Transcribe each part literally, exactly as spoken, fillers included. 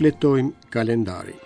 Shfletojmë kalendarin.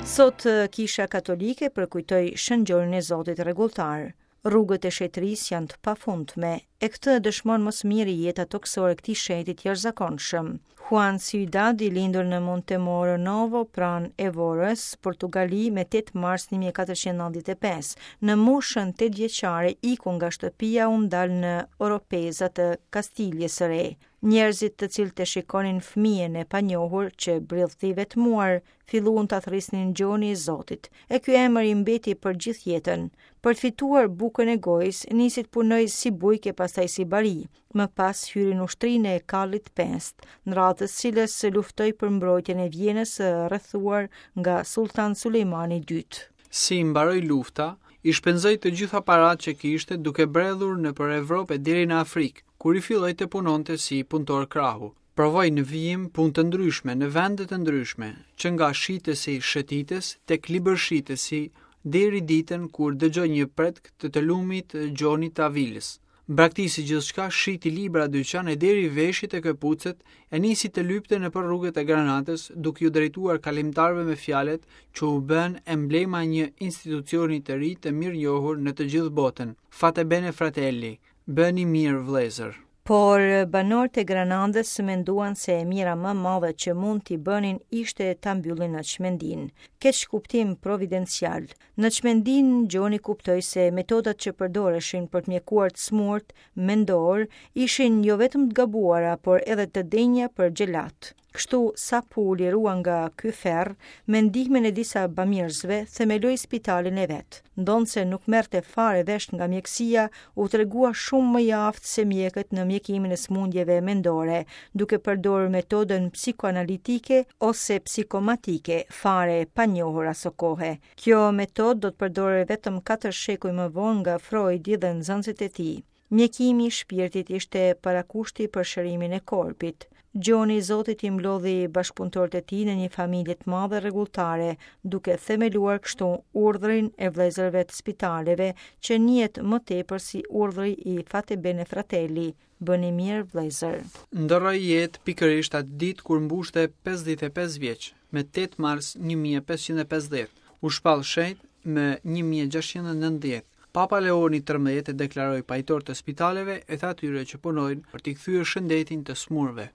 Sot Kisha Katolike përkujtoi Shën Gjonin e Zotit rregulltar. Rrugët e shetërisë janë të pafundme, e këtë e dëshmon më së miri jeta tokësore e këtij shenjti të jashtëzakonshëm. Juan Ciudad, i lindur në Montemoro Novo, pranë Evorës, Portugali, me tetë mars një mijë e katërqind e nëntëdhjetë e pesë, në moshën tetë vjeçare iku nga shtëpia u ndal në Oropeza të Kastiljes së Re. Njerëzit të cilët e shikonin fëmijën e panjohur që bridhte i vetmuar, filluan ta thërrisnin Gjoni i Zotit, e ky emër i mbeti për gjithë jetën. Për të fituar bukën e gojës, nisi të punojë si bujk e pastaj si bari. Më pas hyri në ushtrinë e Karlit të Pestë, në radhë të cilës luftoi për mbrojtjen e Vjenës së rrethuar nga Sultan Sulejmani i dytë. Si mbaroi lufta, i shpenzoi të gjitha paratë që kishte duke bredhur nëpër Evropë e deri në Afrikë, kur i filloi të punonte si punëtor krahu. Provoi në vijim punë të ndryshme në vende të ndryshme, që nga shitësi shëtitës tek libërshitësi deri ditën kur dëgjoi një pretk të të lumit Gjonit të Avilës. Braktisi gjithçka, shiti libra dyqan e deri veshjet e këpucët e nisi të lypte nëpër rrugët e Granatës, duke iu drejtuar kalimtarëve me fjalët që u bën emblema e një institucioni të ri të mirënjohur në të gjithë botën. Fate bene fratelli, bëni mirë vëllezër. Por banorët e Granadës menduan se e mira më madhe që mund t'i bënin ishte ta mbyllin në çmendinë. Keq kuptim providencial. Në çmendinë Gjoni kuptoi se metodat që përdoreshin për të mjekuar të smurt mendor ishin jo vetëm të gabuara, por edhe të denja për xhelat. Kështu, sapo u lirua nga ky ferr, me ndihmën e disa bamirësve, themeloi spitalin e vet. Ndonse nuk merrte fare vesh nga mjekësia, u tregua shumë më i aftë se mjekët në mjekimin e sëmundjeve mendore, duke përdorur metodën psikoanalitike ose psikomatike, fare e panjohur aso kohe. Kjo metodë do të përdorej vetëm katër shekuj më vonë nga Freudi dhe nxënësit e tij. Mjekimi i shpirtit ishte parakushti për shërimin e korpit. Gjoni i Zotit i mblodhi bashkëpunëtorët e tij në një familje të madhe rregulltare, duke themeluar kështu urdhrin e vëllezërve të spitaleve, që njihet më tepër si urdhri i Fate Bene Fratelli, bëni mirë vëllezër. Ndërroi jetë pikërisht atë ditë kur mbushte pesëdhjetë e pesë vjeç, me tetë mars një mijë e pesëqind e pesëdhjetë, u shpall shenjt më një mijë e gjashtëqind e nëntëdhjetë. Papa Leoni trembëdhjetë e deklaroi pajtor të spitaleve e të atyre që punojnë për t'i kthyer shëndetin të smurve.